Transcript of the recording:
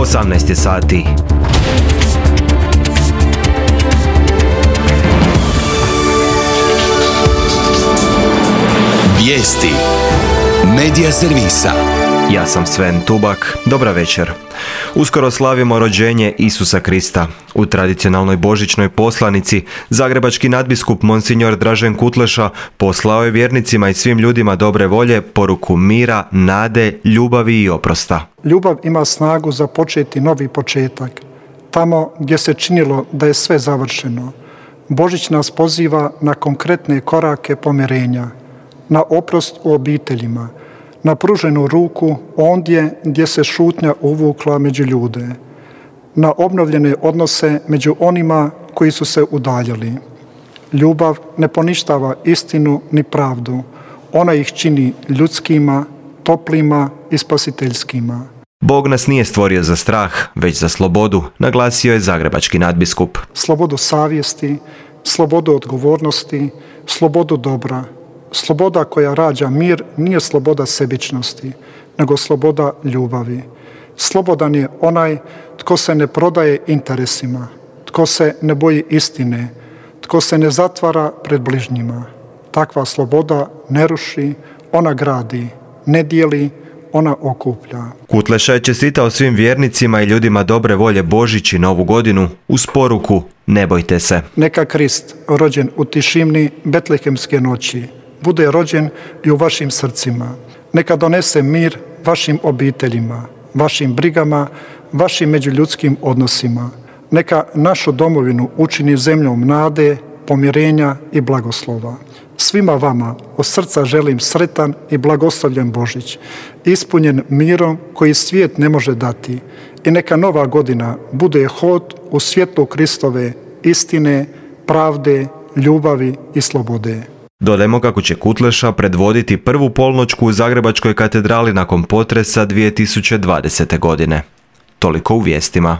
18 sati. Vijesti Medija servisa. Ja sam Sven Tubak, dobra večer. Uskoro slavimo rođenje Isusa Krista. U tradicionalnoj božićnoj poslanici zagrebački nadbiskup Monsignor Dražen Kutleša poslao je vjernicima i svim ljudima dobre volje poruku mira, nade, ljubavi i oprosta. Ljubav ima snagu započeti novi početak. Tamo gdje se činilo da je sve završeno. Božić nas poziva na konkretne korake pomirenja, na oprost u obiteljima, na pruženu ruku ondje gdje se šutnja uvukla među ljude, na obnovljene odnose među onima koji su se udaljili. Ljubav ne poništava istinu ni pravdu, ona ih čini ljudskima, toplima i spasiteljskima. Bog nas nije stvorio za strah, već za slobodu, naglasio je zagrebački nadbiskup. Slobodu savjesti, slobodu odgovornosti, slobodu dobra. Sloboda koja rađa mir nije sloboda sebičnosti, nego sloboda ljubavi. Slobodan je onaj tko se ne prodaje interesima, tko se ne boji istine, tko se ne zatvara pred bližnjima. Takva sloboda ne ruši, ona gradi, ne dijeli, ona okuplja. Kutleša je čestitao svim vjernicima i ljudima dobre volje Božić i Novu godinu uz poruku ne bojte se. Neka Krist, rođen u tišini betlehemske noći, bude rođen i u vašim srcima. Neka donese mir vašim obiteljima, vašim brigama, vašim međuljudskim odnosima. Neka našu domovinu učini zemljom nade, pomirenja i blagoslova. Svima vama od srca želim sretan i blagoslovljen Božić, ispunjen mirom koji svijet ne može dati. I neka nova godina bude hod u svjetlu Kristove istine, pravde, ljubavi i slobode. Dodajmo kako će Kutleša predvoditi prvu polnoćku u Zagrebačkoj katedrali nakon potresa 2020. godine. Toliko u vijestima.